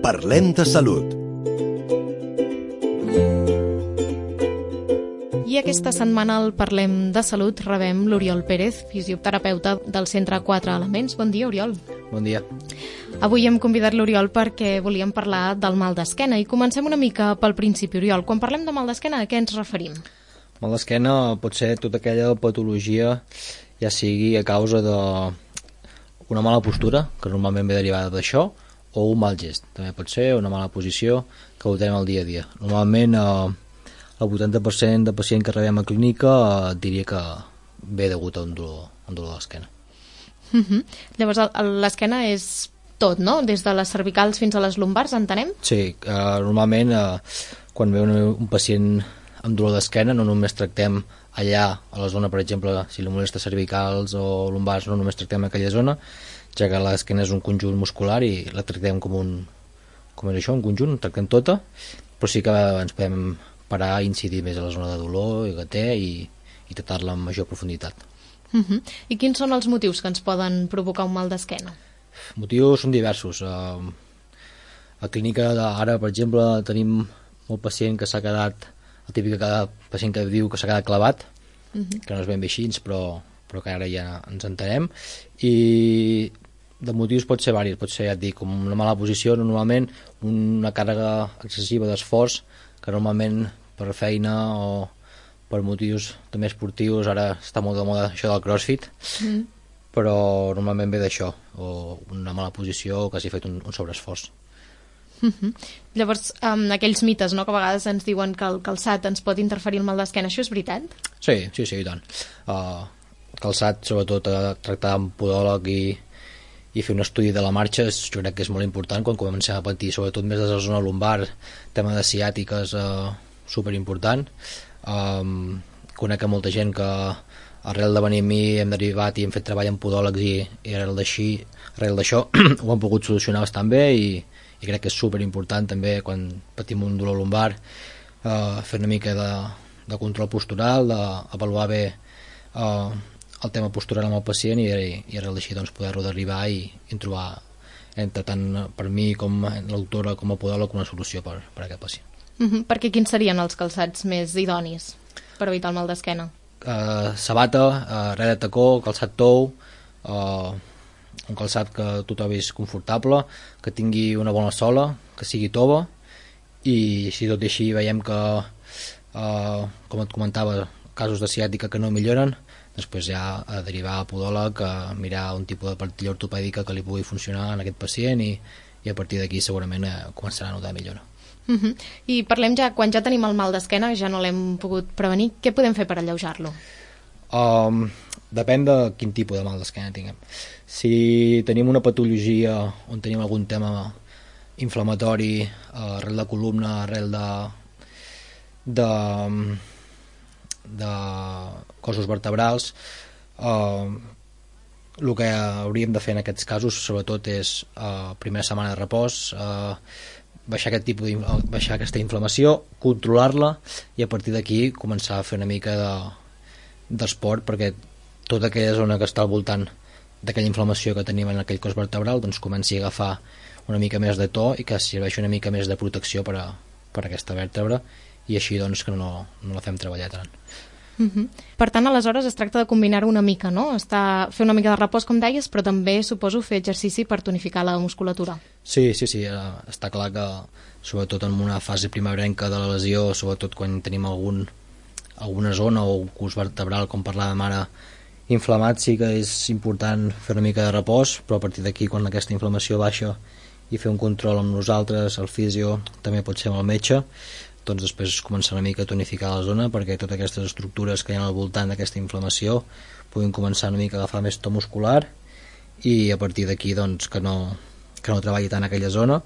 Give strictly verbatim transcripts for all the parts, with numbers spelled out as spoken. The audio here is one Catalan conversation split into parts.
Parlem de salut. I aquesta setmana al Parlem de Salut rebem l'Oriol Pérez, fisioterapeuta del Centre quatre Elements. Bon dia, Oriol. Bon dia. Avui hem convidat l'Oriol perquè volíem parlar del mal d'esquena i comencem una mica pel principi, Oriol. Quan parlem de mal d'esquena, a què ens referim? Mal d'esquena pot ser tota aquella patologia, ja sigui a causa d'una mala postura, que normalment ve derivada d'això, o un mal gest. També pot ser una mala posició que ho tenim al dia a dia. Normalment eh, el vuitanta per cent de pacients que rebem a clínica eh, diria que ve degut a un dolor, un dolor d'esquena. Uh -huh. Llavors l'esquena és tot, no? Des de les cervicals fins a les lumbars, entenem? Sí, eh, normalment eh, quan ve un, un pacient amb dolor d'esquena no només tractem allà, a la zona, per exemple, si li molesta cervicals o lumbars, no només tractem aquella zona, ja que l'esquena és un conjunt muscular i la tractem com un, com és això, un conjunt, tractem tota, però sí que ens podem parar i incidir més a la zona de dolor que té i, i tractar-la amb major profunditat. Uh -huh. I quins són els motius que ens poden provocar un mal d'esquena? Motius són diversos. A la clínica ara, per exemple, tenim molt pacient que s'ha quedat, el típic pacient que diu que s'ha quedat clavat, uh -huh. que no és ben bé així, però, però que ara ja ens entenem, i de motius pot ser diversos, pot ser, ja et dic, com una mala posició, normalment una càrrega excessiva d'esforç, que normalment per feina o per motius també esportius, ara està molt de moda això del crossfit, mm. però normalment ve d'això, o una mala posició o que hagi fet un, un sobreesforç. Uh -huh. Llavors, um, aquells mites, no?, que a vegades ens diuen que el calçat ens pot interferir el mal d'esquena, això és veritat? Sí, sí, sí, i tant. Uh, el calçat, sobretot, uh, tractar amb podòleg i, i fer un estudi de la marxa, és, jo crec que és molt important quan comencem a patir, sobretot més de la zona lumbar, tema de ciàtiques, uh, superimportant. Um, conec a molta gent que arrel de venir a mi hem derivat i hem fet treball amb podòlegs i, i arrel d'així, arrel d'això ho han pogut solucionar bastant bé i, i crec que és superimportant també quan patim un dolor lumbar uh, fer una mica de, de control postural, d'avaluar bé uh, el tema postural amb el pacient i, i, i arrel d'així doncs, poder-ho derribar i, i trobar entre tant per mi com l'autora com a podòleg una solució per, per a aquest pacient. Uh -huh. Perquè quins serien els calçats més idonis per evitar el mal d'esquena? Uh, sabata, uh, res de tacó, calçat tou, uh, un calçat que tu trobis confortable, que tingui una bona sola, que sigui tova, i si tot i així veiem que, uh, com et comentava, casos de ciàtica que no milloren, després ja a derivar a podòleg, a mirar un tipus de partilla ortopèdica que li pugui funcionar en aquest pacient i, i a partir d'aquí segurament eh, començarà a notar millora. Uh -huh. I parlem ja, quan ja tenim el mal d'esquena, ja no l'hem pogut prevenir, què podem fer per alleujar-lo? Um, depèn de quin tipus de mal d'esquena tinguem. Si tenim una patologia on tenim algun tema inflamatori uh, arrel de columna, arrel de de, de cossos vertebrals, uh, el que hauríem de fer en aquests casos sobretot és uh, primera setmana de repòs, uh, baixar aquest tipus baixar aquesta inflamació, controlar-la i a partir d'aquí començar a fer una mica de, d'esport perquè tota aquella zona que està al voltant d'aquella inflamació que tenim en aquell cos vertebral doncs comenci a agafar una mica més de to i que serveixi una mica més de protecció per a, per a aquesta vèrtebra i així doncs que no, no la fem treballar tant. Uh -huh. Per tant, aleshores es tracta de combinar-ho una mica, no? Estar, fer una mica de repòs, com deies, però també suposo fer exercici per tonificar la musculatura. Sí, sí, sí, està clar que sobretot en una fase primerenca de la lesió, sobretot quan tenim algun, alguna zona o un cos vertebral, com parlàvem ara, inflamat, sí que és important fer una mica de repòs, però a partir d'aquí, quan aquesta inflamació baixa i fer un control amb nosaltres, el fisio, també pot ser amb el metge, doncs després començar una mica a tonificar la zona perquè totes aquestes estructures que hi ha al voltant d'aquesta inflamació puguin començar una mica a agafar més to muscular i a partir d'aquí doncs que no, que no treballi tant aquella zona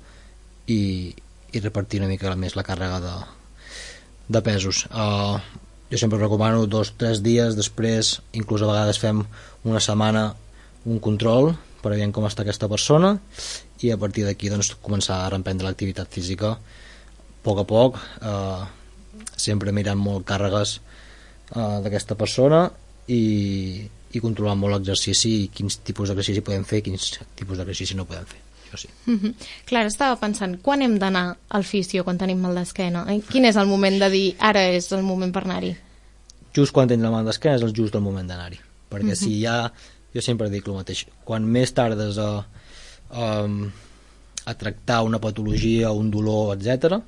i, i repartir una mica més la càrrega de, de pesos. Uh, jo sempre recomano dos o tres dies, després inclús a vegades fem una setmana un control per veure com està aquesta persona i a partir d'aquí doncs, començar a reprendre l'activitat física a poc a poc, eh, sempre mirant molt càrregues eh, d'aquesta persona i, i controlant molt l'exercici i quins tipus d'exercici podem fer i quins tipus d'exercici no podem fer. això sí. Mm-hmm. Clar, estava pensant, quan hem d'anar al fisio quan tenim mal d'esquena? Quin és el moment de dir, ara és el moment per anar-hi? Just quan tens la mal d'esquena és el just el moment d'anar-hi, perquè mm-hmm. si ja, jo sempre dic el mateix, quan més tardes a, a, a tractar una patologia, un dolor, etcètera,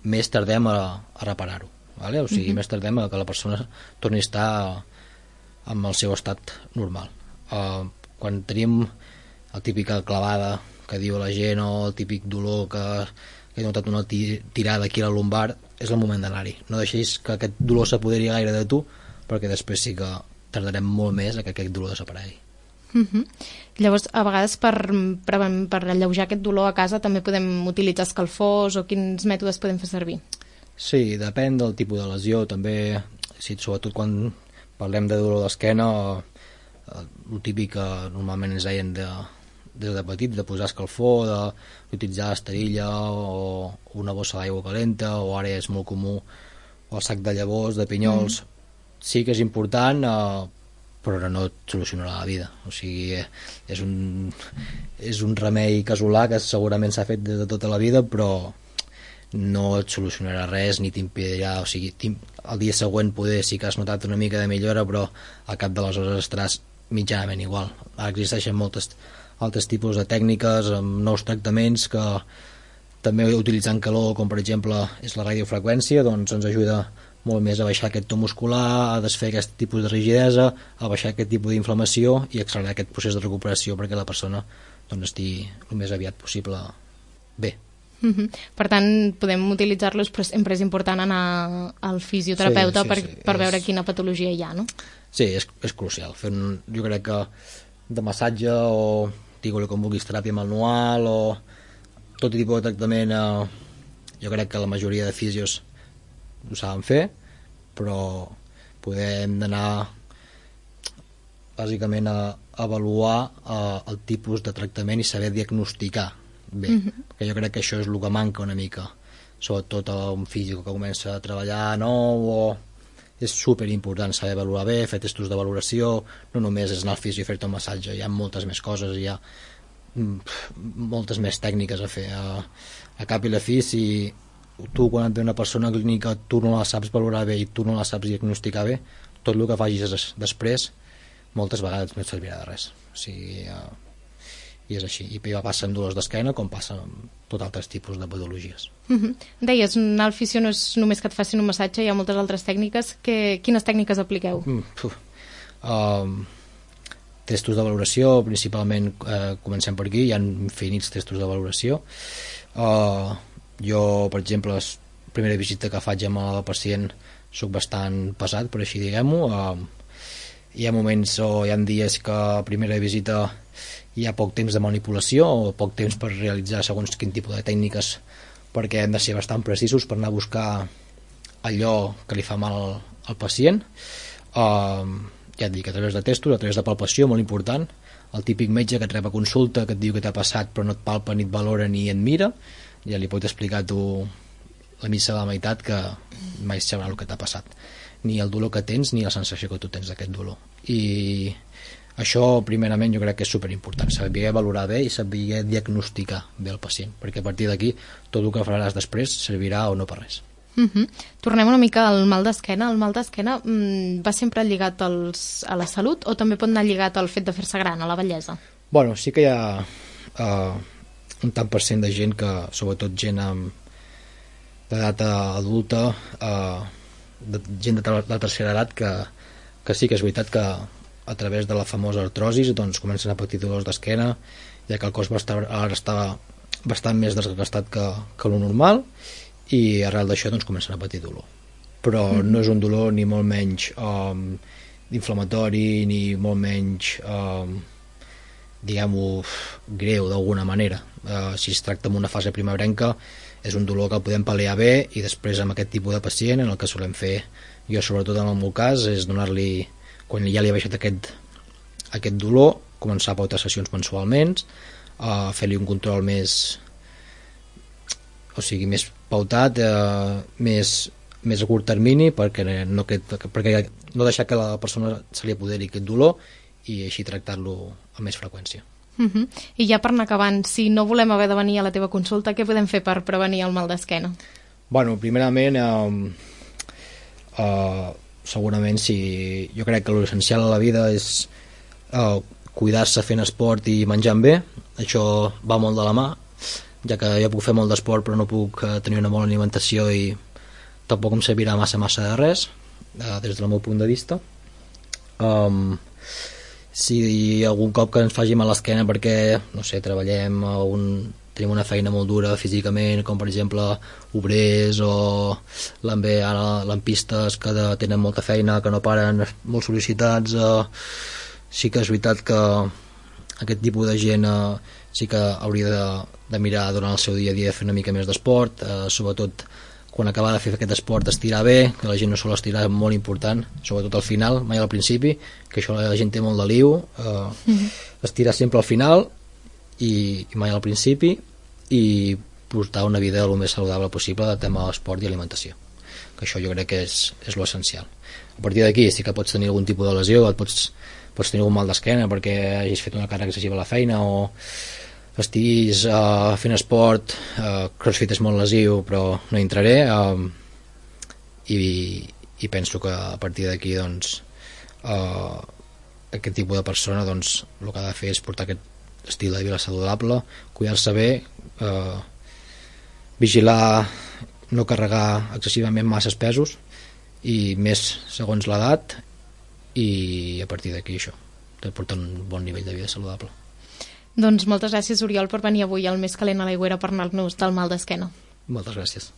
més tardem a, a reparar-ho, vale? O sigui, mm-hmm. més tardem a que la persona torni a estar amb el seu estat normal. Uh, quan tenim la típica clavada que diu la gent o el típic dolor que, que he notat una tirada aquí a la lumbar, és el moment d'anar-hi. No deixis que aquest dolor s'apoderi gaire de tu, perquè després sí que tardarem molt més a que aquest dolor desaparegui. Mm-hmm. Llavors, a vegades per, per, per alleujar aquest dolor a casa també podem utilitzar escalfors o quins mètodes podem fer servir? Sí, depèn del tipus de lesió. També, sí, sobretot quan parlem de dolor d'esquena, el típic que normalment ens deien de, des de petits, de posar escalfor, d'utilitzar esterilla o una bossa d'aigua calenta, o ara és molt comú el sac de llavors, de pinyols. Mm. Sí que és important, eh, però no et solucionarà la vida. O sigui, és un, és un remei casolà que segurament s'ha fet des de tota la vida, però no et solucionarà res ni t'impedirà, o sigui, el dia següent poder sí que has notat una mica de millora, però al cap de les hores estaràs mitjanament igual. Ara existeixen moltes altres tipus de tècniques amb nous tractaments que també utilitzant calor, com per exemple és la radiofreqüència, doncs ens ajuda molt més a baixar aquest to muscular, a desfer aquest tipus de rigidesa, a baixar aquest tipus d'inflamació i accelerar aquest procés de recuperació perquè la persona doncs, estigui el més aviat possible bé. Mm-hmm. Per tant, podem utilitzar-los, però sempre és important anar al fisioterapeuta sí, sí, per, sí, per és... veure quina patologia hi ha, no? Sí, és, és crucial. Fer un, jo crec que de massatge o digue-li com vulguis, teràpia manual o tot tipus de tractament, eh, jo crec que la majoria de fisios ho saben fer, però podem anar bàsicament a avaluar eh, el tipus de tractament i saber diagnosticar bé, mm-hmm. perquè jo crec que això és el que manca una mica, sobretot a un físic que comença a treballar nou, o és super important saber valorar bé, fer testos de valoració, no només és anar al físic i fer-te un massatge, hi ha moltes més coses, hi ha moltes més tècniques a fer a, a cap i la fi. Si tu quan et ve una persona clínica tu no la saps valorar bé i tu no la saps diagnosticar bé, tot el que facis des, després moltes vegades no et servirà de res, o sigui, uh, i és així, i va passar amb dolors d'esquena com passa amb tot altres tipus de patologies. Mm-hmm. Deies, anar al fisio no és només que et facin un massatge, hi ha moltes altres tècniques. Que, quines tècniques apliqueu? Mm, um, testos de valoració, principalment eh, comencem per aquí, hi ha infinits testos de valoració. Uh, jo, per exemple, la primera visita que faig amb el pacient soc bastant pesat, per així diguem-ho. Uh, hi ha moments o hi ha dies que a primera visita hi ha poc temps de manipulació o poc temps per realitzar segons quin tipus de tècniques, perquè hem de ser bastant precisos per anar a buscar allò que li fa mal al, al pacient. Uh, ja et dic, a través de testos, a través de palpació, molt important, el típic metge que et rep a consulta, que et diu que t'ha passat però no et palpa, ni et valora, ni et mira, ja li pot explicar tu la missa de la meitat que mai sabrà el que t'ha passat, ni el dolor que tens ni la sensació que tu tens d'aquest dolor. I això primerament jo crec que és superimportant, saber valorar bé i saber diagnosticar bé el pacient, perquè a partir d'aquí tot el que faràs després servirà o no per res. Mm-hmm. Tornem una mica al mal d'esquena. El mal d'esquena mm, va sempre lligat als, a la salut o també pot anar lligat al fet de fer-se gran, a la vellesa? Bueno, sí que hi ha uh, un tant per cent de gent que, sobretot gent amb d'edat adulta, uh, de, gent de, de tercera edat, que, que sí que és veritat que a través de la famosa artrosis doncs, comencen a patir dolors d'esquena, ja que el cos va estar, ara està bastant més desgastat que, que lo normal, i arrel d'això doncs, comencen a patir dolor. Però mm. no és un dolor ni molt menys um, inflamatori, ni molt menys um, diguem-ho greu d'alguna manera. Uh, si es tracta amb una fase primerenca és un dolor que el podem pal·liar bé, i després amb aquest tipus de pacient en el que solem fer, jo sobretot en el meu cas, és donar-li, quan ja li ha baixat aquest, aquest dolor, començar a pautar sessions mensualment, uh, fer-li un control més o sigui, més pautat, eh, més, més a curt termini, perquè no, que, perquè no deixar que la persona se li apoderi aquest dolor i així tractar-lo amb més freqüència. Uh-huh. I ja per anar acabant, si no volem haver de venir a la teva consulta, què podem fer per prevenir el mal d'esquena? Bueno, primerament, eh, eh, segurament si jo crec que l'essencial a la vida és eh, cuidar-se fent esport i menjant bé. Això va molt de la mà, ja que jo puc fer molt d'esport però no puc eh, tenir una bona alimentació i tampoc em servirà massa massa de res, eh, des del meu punt de vista. Um, si algun cop que ens faci mal l'esquena perquè, no sé, treballem a un, tenim una feina molt dura físicament, com per exemple obrers o també ara lampistes que de, tenen molta feina, que no paren, molt sol·licitats, eh, sí que és veritat que aquest tipus de gent eh, sí que hauria de, de mirar durant el seu dia a dia de fer una mica més d'esport, eh, sobretot quan acaba de fer aquest esport estirar bé, que la gent no sol estirar, és molt important, sobretot al final, mai al principi, que això la gent té molt de liu, eh, mm-hmm. estirar sempre al final i, i mai al principi, i portar una vida el més saludable possible de tema esport i alimentació, que això jo crec que és, és l'essencial. A partir d'aquí sí que pots tenir algun tipus de lesió, et pots, pots tenir algun mal d'esquena perquè hagis fet una càrrega excessiva a la feina o estiguis uh, fent esport, uh, crossfit és molt lesiu però no hi entraré, uh, i, i penso que a partir d'aquí doncs uh, aquest tipus de persona doncs el que ha de fer és portar aquest estil de vida saludable, cuidar-se bé, eh, vigilar no carregar excessivament masses pesos i més segons l'edat, i a partir d'aquí això, de portar un bon nivell de vida saludable. Doncs moltes gràcies, Oriol, per venir avui al Més Calent a l'Aigüera per anar-nos del mal d'esquena. Moltes gràcies.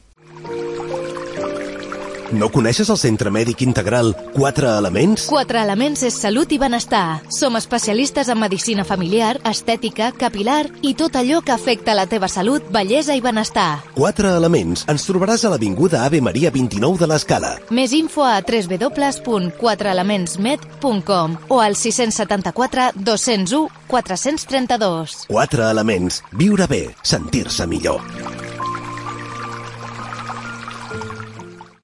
No coneixes el Centre Mèdic Integral Quatre Elements? Quatre Elements és salut i benestar. Som especialistes en medicina familiar, estètica, capilar i tot allò que afecta la teva salut, bellesa i benestar. Quatre Elements. Ens trobaràs a l'Avinguda Ave Maria vint-i-nou de l'Escala. Més info a w w w punt quatre elements med punt com o al sis set quatre, dos zero u, quatre tres dos. Quatre Elements. Viure bé, sentir-se millor.